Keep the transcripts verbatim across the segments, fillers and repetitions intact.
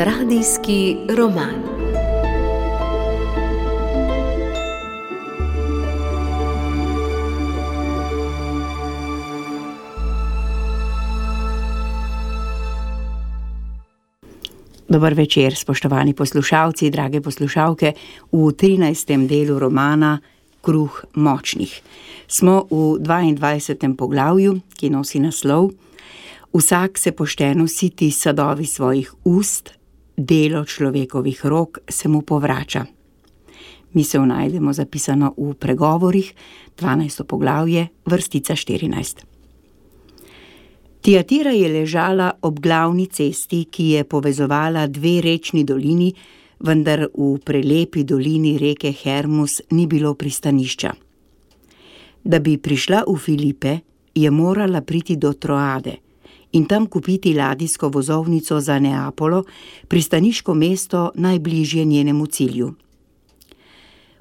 Radijski roman. Dober večer, spoštovani poslušalci, drage poslušalke, v trinajstem delu romana Kruh močnih. Smo v dvaindvajsetem poglavju, ki nosi naslov Vsak se pošteno siti sadovi svojih ust, delo človekovih rok se mu povrača. Misel najdemo zapisano v Pregovorih, dvanajsto poglavje, vrstica štirinajst. Tiatira je ležala ob glavni cesti, ki je povezovala dve rečni dolini, vendar v prelepi dolini reke Hermus ni bilo pristanišča. Da bi prišla v Filipe, je morala priti do Troade in tam kupiti ladijsko vozovnico za Neapolo, pristaniško mesto najbližje njenemu cilju.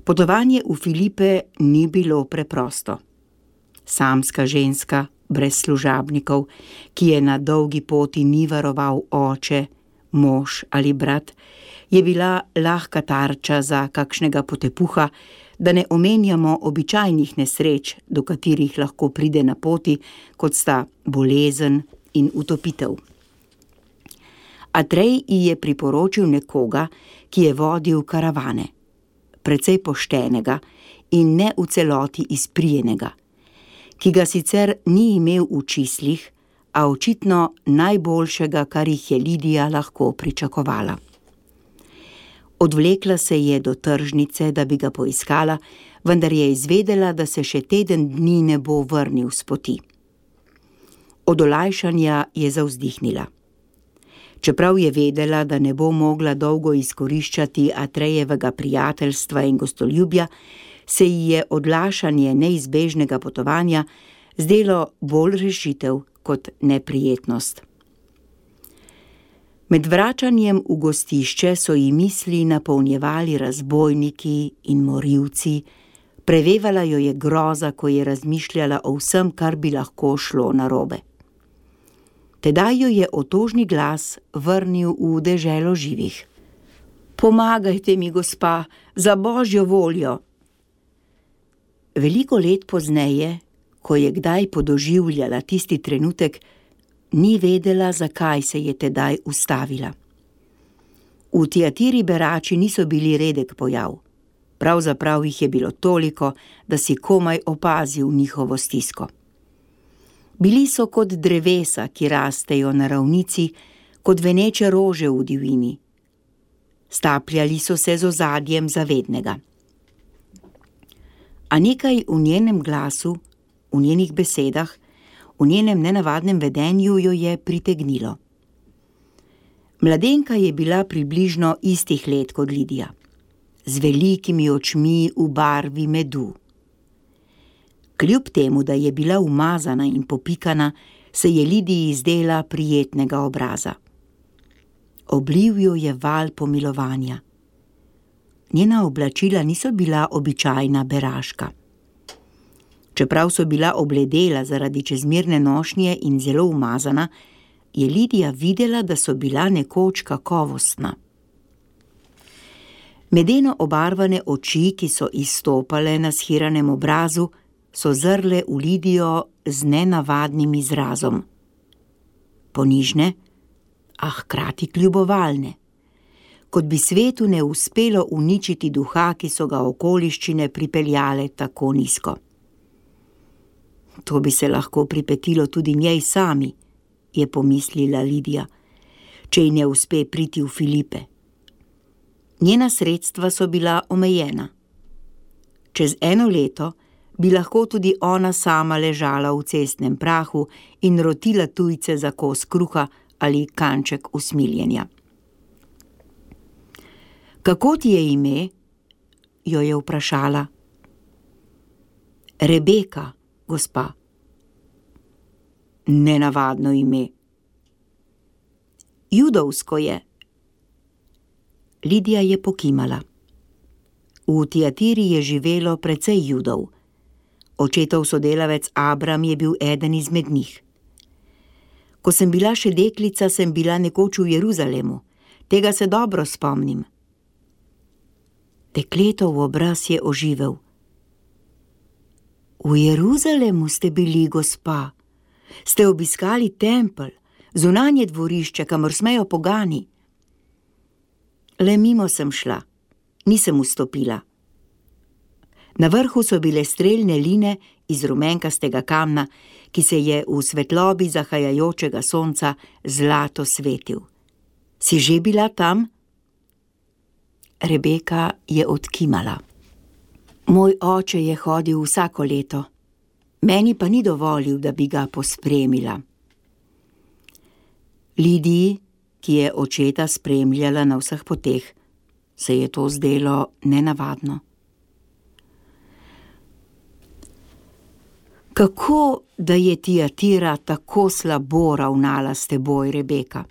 Potovanje v Filipe ni bilo preprosto. Samska ženska, brez služabnikov, ki je na dolgi poti ni varoval oče, mož ali brat, je bila lahka tarča za kakšnega potepuha, da ne omenjamo običajnih nesreč, do katerih lahko pride na poti, kot sta bolezen in utopitev. Atrej ji je priporočil nekoga, ki je vodil karavane, precej poštenega in ne v celoti izprijenega, ki ga sicer ni imel v čislih, a očitno najboljšega, kar jih je Lidija lahko pričakovala. Odvlekla se je do tržnice, da bi ga poiskala, vendar je izvedela, da se še teden dni ne bo vrnil s poti. Od olajšanja je zavzdihnila. Čeprav je vedela, da ne bo mogla dolgo izkoriščati Atrejevega prijateljstva in gostoljubja, se ji je odlašanje neizbežnega potovanja zdelo bolj rešitev kot neprijetnost. Med vračanjem v gostišče so ji misli napolnjevali razbojniki in morilci, prevevala jo je groza, ko je razmišljala o vsem, kar bi lahko šlo narobe. Tedaj jo je otožni glas vrnil v deželo živih. Pomagajte mi, gospa, za božjo voljo! Veliko let pozneje, ko je kdaj podoživljala tisti trenutek, ni vedela, zakaj se je tedaj ustavila. V Tiatiri berači niso bili redek pojav. Pravzaprav jih je bilo toliko, da si komaj opazil njihovo stisko. Bili so kot drevesa, ki rastejo na ravnici, kot veneče rože v divjini. Stapljali so se z ozadjem zavednega. A nekaj v njenem glasu, v njenih besedah, v njenem nenavadnem vedenju jo je pritegnilo. Mladenka je bila približno istih let kot Lidija, z velikimi očmi v barvi medu. Kljub temu, da je bila umazana in popikana, se je Lidiji zdela prijetnega obraza. Obliv jo je val pomilovanja. Njena oblačila niso bila običajna beraška. Čeprav so bila obledela zaradi čezmerne nošnje in zelo umazana, je Lidija videla, da so bila nekoč kakovostna. Medeno obarvane oči, ki so izstopale na shiranem obrazu, so zrle v Lidijo z nenavadnim izrazom. Ponižne, a hkrati kljubovalne. Kot bi svetu ne uspelo uničiti duha, ki so ga okoliščine pripeljale tako nizko. To bi se lahko pripetilo tudi njej sami, je pomislila Lidija, če ji ne uspe priti v Filipe. Njena sredstva so bila omejena. Čez eno leto bi lahko tudi ona sama ležala v cestnem prahu in rotila tujce za kos kruha ali kanček usmiljenja. Kako ti je ime? Jo je vprašala. Rebeka, gospa. Nenavadno ime. Judovsko je. Lidija je pokimala. V Tiatiri je živelo precej Judov. Očetov sodelavec Abram je bil eden izmed njih. Ko sem bila še deklica, sem bila nekoč v Jeruzalemu, Tega se dobro spomnim. Dekletov obraz je oživel. V Jeruzalemu ste bili, gospa. Ste obiskali tempelj, zunanje dvorišče, kamor smejo pogani. Le mimo sem šla, nisem vstopila. Na vrhu so bile strelne line iz rumenkastega kamna, ki se je v svetlobi zahajajočega sonca zlato svetil. Si že bila tam? Rebeka je odkimala. Moj oče je hodil vsako leto, meni pa ni dovolil, da bi ga pospremila. Lidiji, ki je očeta spremljala na vseh poteh, se je to zdelo nenavadno. Kako, da je Tiatira tako slabo ravnala s teboj, Rebeka?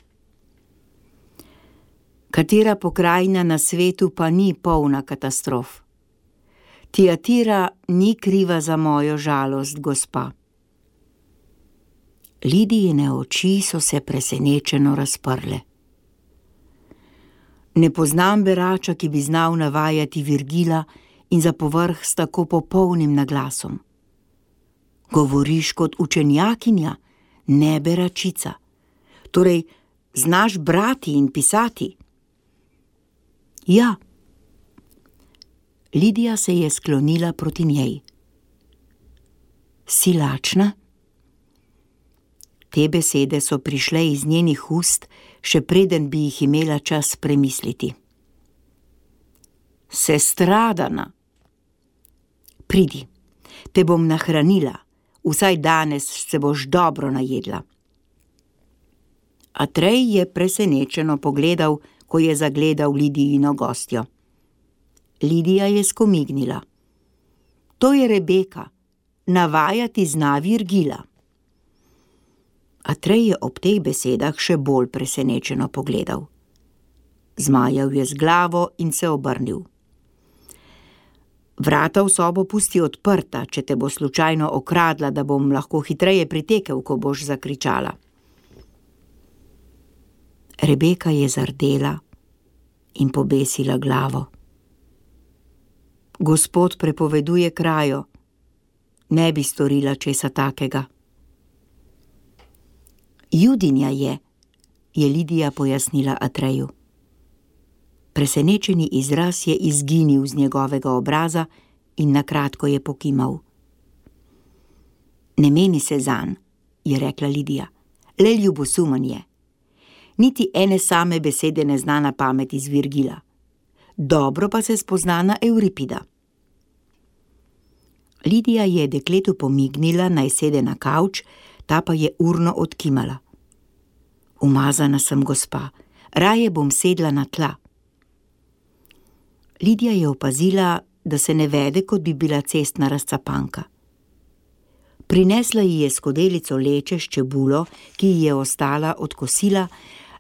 Katera pokrajina na svetu pa ni polna katastrof? Tiatira ni kriva za mojo žalost, gospa. Lidijine oči so se presenečeno razprle. Ne poznam berača, ki bi znal navajati Virgila in za povrh s tako popolnim naglasom. Govoriš kot učenjakinja, ne beračica. Torej, znaš brati in pisati? Ja. Lidija se je sklonila proti njej. Si lačna? Te besede so prišle iz njenih ust, še preden bi jih imela čas premisliti. Sestradana. Pridi, te bom nahranila, vsaj danes se boš dobro najedla. Atrej je presenečeno pogledal, ko je zagledal Lidijino gostjo. Lidija je skomignila. To je Rebeka, navajati zna Virgila. Atrej je ob teh besedah še bolj presenečeno pogledal. Zmajal je z glavo in se obrnil. Vrata v sobo pusti odprta, če te bo slučajno okradla, da bom lahko hitreje pritekel, ko boš zakričala. Rebeka je zardela in pobesila glavo. Gospod prepoveduje krajo, ne bi storila česa takega. Judinja je, je Lidija pojasnila Atreju. Presenečeni izraz je izginil z njegovega obraza in nakratko je pokimal. Ne meni se zanj, je rekla Lidija, le ljubosumen je. Niti ene same besede ne zna na pamet iz Virgila. Dobro pa se spozna na Euripida. Lidija je dekletu pomignila, naj sede na kavč, ta pa je urno odkimala. Umazana sem, gospa, raje bom sedla na tla. Lidija je opazila, da se ne vede, kot bi bila cestna razcapanka. Prinesla ji je skodelico leče s čebulo, ki ji je ostala od kosila,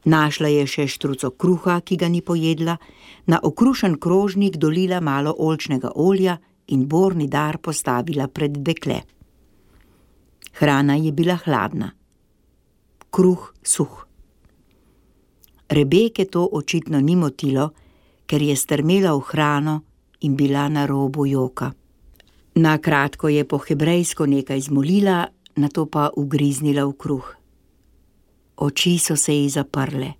našla je še štruco kruha, ki ga ni pojedla, na okrušen krožnik dolila malo oljčnega olja in borni dar postavila pred dekle. Hrana je bila hladna, kruh suh. Rebeke to očitno ni motilo, ker je strmela v hrano in bila na robu joka. Na kratko je po hebrejsko nekaj zmolila, nato pa ugriznila v kruh. Oči so se ji zaprle.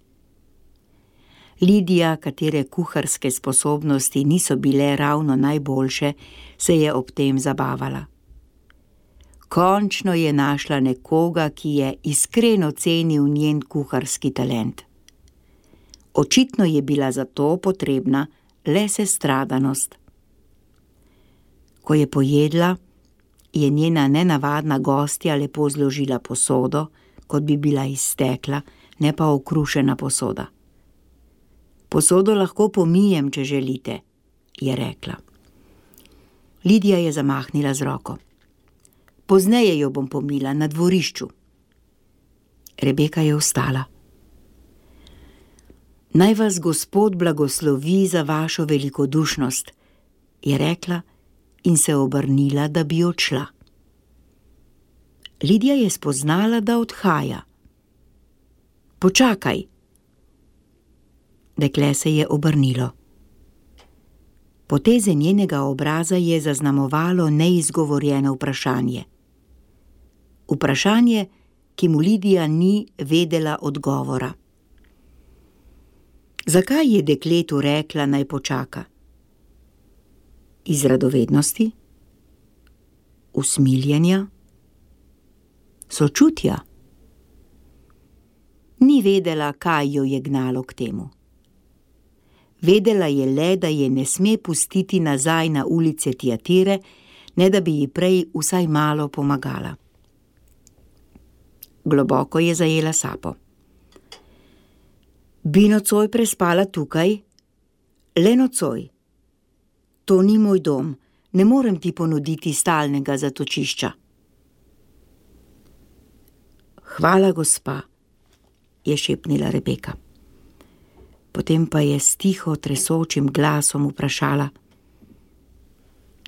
Lidija, katere kuharske sposobnosti niso bile ravno najboljše, se je ob tem zabavala. Končno je našla nekoga, ki je iskreno cenil njen kuharski talent. Očitno je bila za to potrebna le sestradanost. Ko je pojedla, je njena nenavadna gostja lepo zložila posodo, kot bi bila iz stekla, ne pa okrušena posoda. Posodo lahko pomijem, če želite, je rekla. Lidija je zamahnila z roko. Pozneje jo bom pomila na dvorišču. Rebeka je vstala. Naj vas Gospod blagoslovi za vašo velikodušnost, je rekla in se obrnila, da bi odšla. Lidija je spoznala, da odhaja. Počakaj. Dekle se je obrnilo. Poteze njenega obraza je zaznamovalo neizgovorjeno vprašanje. Vprašanje, ki mu Lidija ni vedela odgovora. Zakaj je dekletu rekla, naj počaka? Iz radovednosti? Usmiljenja? Sočutja? Ni vedela, kaj jo je gnalo k temu. Vedela je le, da je ne sme pustiti nazaj na ulice Tiatire, ne da bi ji prej vsaj malo pomagala. Globoko je zajela sapo. Bi nocoj prespala tukaj? Le nocoj. To ni moj dom, ne morem ti ponuditi stalnega zatočišča. Hvala, gospa, je šepnila Rebeka. Potem pa je s tiho tresočim glasom vprašala: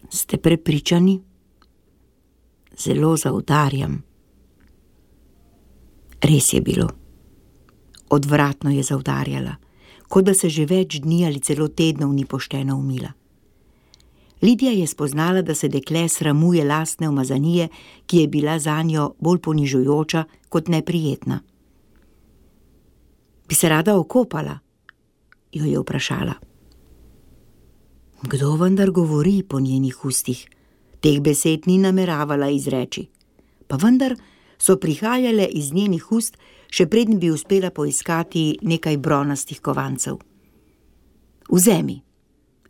Ste prepričani? Zelo zaudarjam. Res je bilo. Odvratno je zaudarjala, kot da se že več dni ali celo tednov ni pošteno umila. Lidija je spoznala, da se dekle sramuje lastne umazanije, ki je bila zanjo bolj ponižujoča kot neprijetna. Bi se rada okopala? Jo je vprašala. Kdo vendar govori po njenih ustih? Teh besed ni nameravala izreči. Pa vendar so prihajale iz njenih ust, še preden bi uspela poiskati nekaj bronastih kovancev. Vzemi,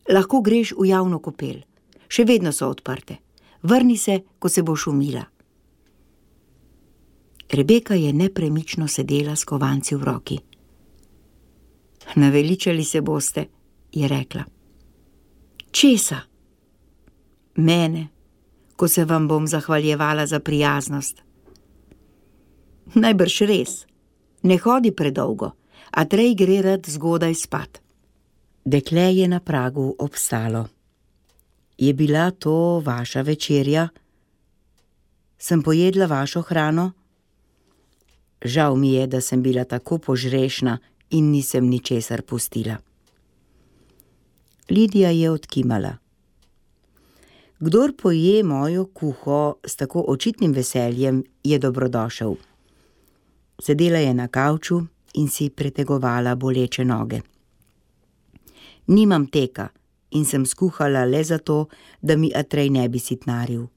lahko greš v javno kopel. Še vedno so odprte. Vrni se, ko se boš umila. Rebeka je nepremično sedela s kovanci v roki. Naveličali se boste, je rekla. Česa? Mene, ko se vam bom zahvaljevala za prijaznost. Najbrž res. Ne hodi predolgo, a Trej gre rad zgodaj spat. Dekle je na pragu obstalo. Je bila to vaša večerja? Sem pojedla vašo hrano? Žal mi je, da sem bila tako požrešna in nisem ničesar pustila. Lidija je odkimala. Kdor poje mojo kuho s tako očitnim veseljem, je dobrodošel. Sedela je na kavču in si pretegovala boleče noge. Nimam teka in sem skuhala le zato, da mi Atrej ne bi sitnaril.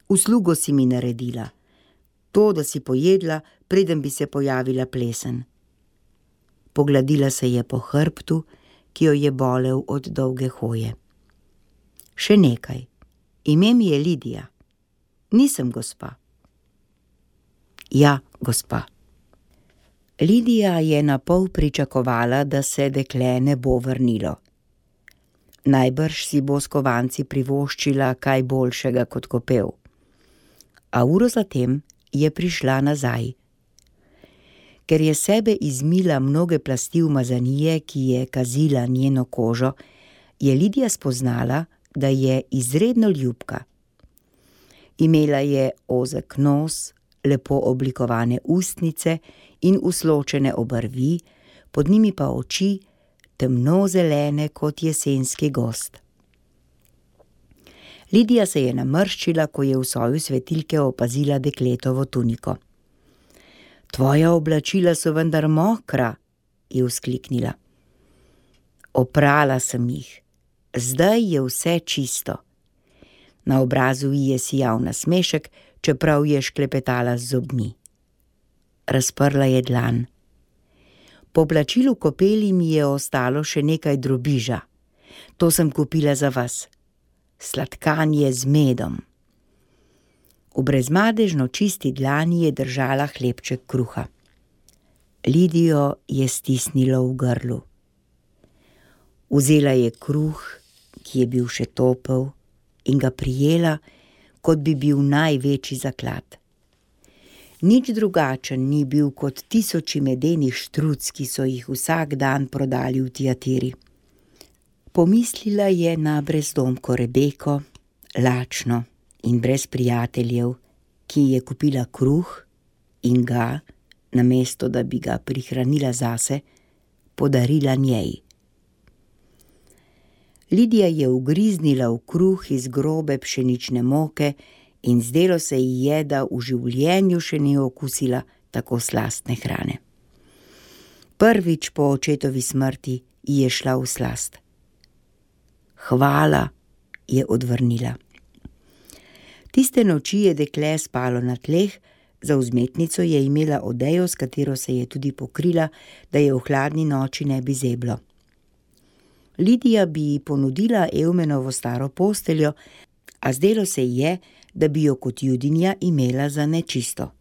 Uslugo si mi naredila. To, da si pojedla, preden bi se pojavila plesen. Pogladila se je po hrbtu, ki jo je bolel od dolge hoje. Še nekaj. Ime mi je Lidija. Nisem gospa. Ja, gospa. Lidija je napol pričakovala, da se dekle ne bo vrnilo. Najbrž si bo s kovanci privoščila kaj boljšega kot kopel. A uro zatem je prišla nazaj. Ker je sebe izmila mnoge plasti umazanije, ki je kazila njeno kožo, je Lidija spoznala, da je izredno ljubka. Imela je ozek nos, lepo oblikovane ustnice in usločene obrvi, pod njimi pa oči, temno zelene kot jesenski gozd. Lidija se je namrščila, ko je v soju svetilke opazila dekletovo tuniko. Tvoja oblačila so vendar mokra, je vzkliknila. Oprala sem jih. Zdaj je vse čisto. Na obrazu ji je sijal nasmešek, čeprav je šklepetala z zobmi. Razprla je dlan. Po oblačilu kopeli mi je ostalo še nekaj drobiža. To sem kupila za vas. Sladkanje z medom. V brezmadežno čisti dlani je držala hlebček kruha. Lidijo je stisnilo v grlu. Vzela je kruh, ki je bil še topel, in ga prijela, kot bi bil največji zaklad. Nič drugačen ni bil kot tisoči medenih štruc, ki so jih vsak dan prodali v Tiatiri. Pomislila je na brezdomko Rebeko, lačno in brez prijateljev, ki je kupila kruh in ga, namesto da bi ga prihranila zase, podarila njej. Lidija je ugriznila v kruh iz grobe pšenične moke in zdelo se ji je, da v življenju še ni okusila tako slastne hrane. Prvič po očetovi smrti ji je šla v slast. Hvala, je odvrnila. Tiste noči je dekle spalo na tleh, za vzmetnico je imela odejo, s katero se je tudi pokrila, da je v hladni noči ne bi zeblo. Lidija bi ji ponudila Eumenovo staro posteljo, a zdelo se ji je, da bi jo kot Judinja imela za nečisto.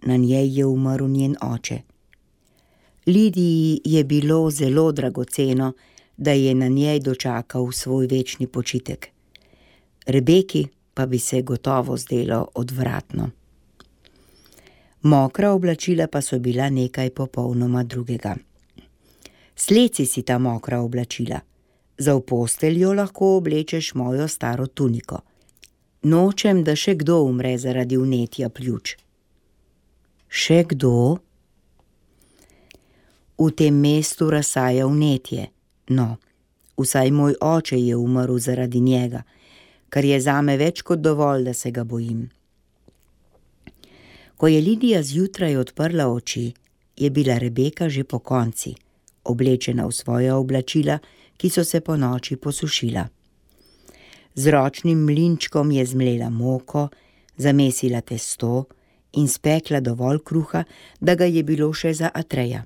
Na njej je umrl njen oče. Lidiji je bilo zelo dragoceno, da je na njej dočakal svoj večni počitek. Rebeki pa bi se gotovo zdelo odvratno. Mokra oblačila pa so bila nekaj popolnoma drugega. Sleci si ta mokra oblačila, za v posteljo lahko oblečeš mojo staro tuniko. Nočem, da še kdo umre zaradi vnetja pljuč. Še kdo? V tem mestu razsaja vnetje, no, vsaj moj oče je umrl zaradi njega, kar je zame več kot dovolj, da se ga bojim. Ko je Lidija zjutraj odprla oči, je bila Rebeka že pokonci, oblečena v svoja oblačila, ki so se ponoči posušila. Z ročnim mlinčkom je zmlela moko, zamesila testo in spekla dovolj kruha, da ga je bilo še za Atreja.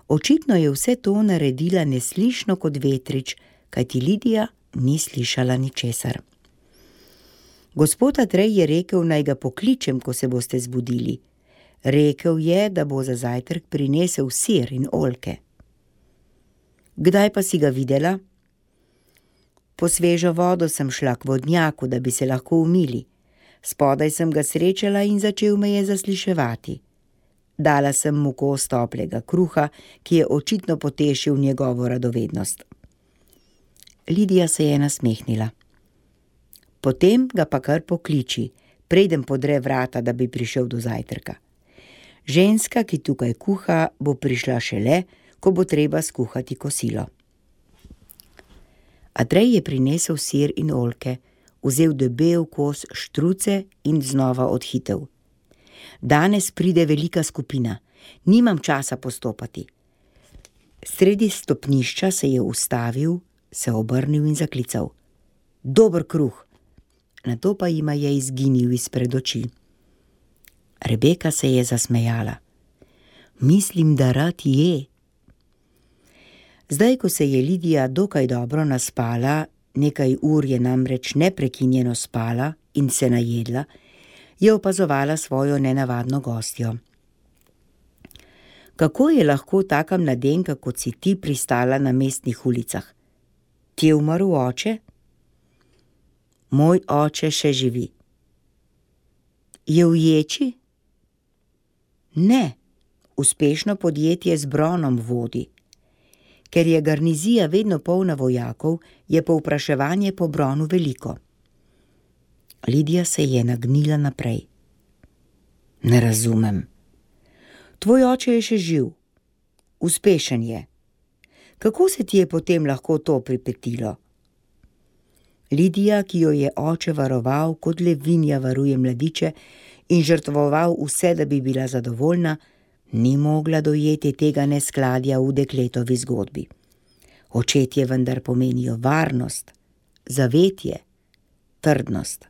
Očitno je vse to naredila neslišno kot vetrič, kajti Lidija ni slišala ničesar. Gospod Atrej je rekel, naj ga pokličem, ko se boste zbudili. Rekel je, da bo za zajtrk prinesel sir in oljke. Kdaj pa si ga videla? Po svežo vodo sem šla k vodnjaku, da bi se lahko umili. Spodaj sem ga srečala in začel me je zasliševati. Dala sem mu kos toplega kruha, ki je očitno potešil njegovo radovednost. Lidija se je nasmehnila. Potem ga pa kar pokliči, preden podre vrata, da bi prišel do zajtrka. Ženska, ki tukaj kuha, bo prišla šele, ko bo treba skuhati kosilo. Atrej je prinesel sir in oljke, vzel debel kos štruce in znova odhitel. Danes pride velika skupina, nimam časa postopati. Sredi stopnišča se je ustavil, se obrnil in zaklical. Dober kruh! Nato pa jima je izginil izpred oči. Rebeka se je zasmejala. Mislim, da rad je. Zdaj, ko se je Lidija dokaj dobro naspala, nekaj ur je namreč neprekinjeno spala in se najedla, je opazovala svojo nenavadno gostjo. Kako je lahko taka mladenka, kot si ti, pristala na mestnih ulicah? Ti je umrl oče? Moj oče še živi. Je v ječi? Ne, uspešno podjetje z bronom vodi. Ker je garnizija vedno polna vojakov, je povpraševanje po bronu veliko. Lidija se je nagnila naprej. Ne razumem. Tvoj oče je še živ. Uspešen je. Kako se ti je potem lahko to pripetilo? Lidija, ki jo je oče varoval, kot levinja varuje mladiče in žrtvoval vse, da bi bila zadovoljna, ni mogla dojeti tega neskladja v dekletovi zgodbi. Očetje vendar pomenijo varnost, zavetje, trdnost.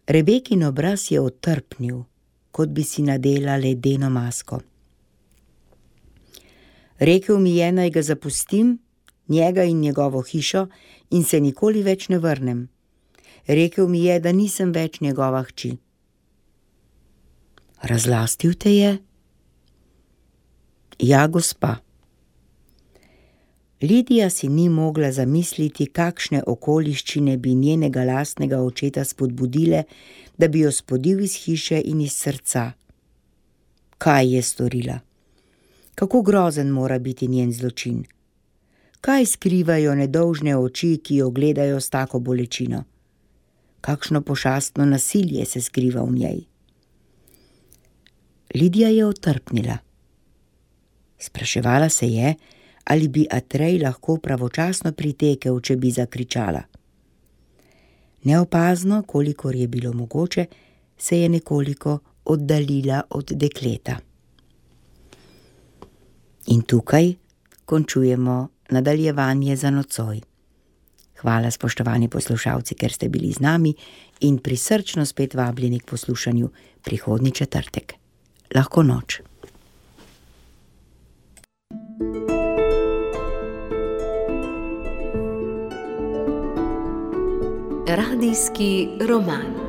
Rebekin obraz je otrpnil, kot bi si nadela ledeno masko. Rekel mi je, naj ga zapustim, njega in njegovo hišo, in se nikoli več ne vrnem. Rekel mi je, da nisem več njegova hči. Razlastil te je? Ja, gospa. Lidija si ni mogla zamisliti, kakšne okoliščine bi njenega lastnega očeta spodbudile, da bi jo spodil iz hiše in iz srca. Kaj je storila? Kako grozen mora biti njen zločin? Kaj skrivajo nedolžne oči, ki jo gledajo s tako bolečino? Kakšno pošastno nasilje se skriva v njej? Lidija je otrpnila. Spraševala se je, ali bi Atrej lahko pravočasno pritekel, če bi zakričala. Neopazno, kolikor je bilo mogoče, se je nekoliko oddaljila od dekleta. In tukaj končujemo nadaljevanje za nocoj. Hvala, spoštovani poslušalci, ker ste bili z nami in prisrčno spet vabljeni k poslušanju prihodnji četrtek. Lahko noč. Radijski roman.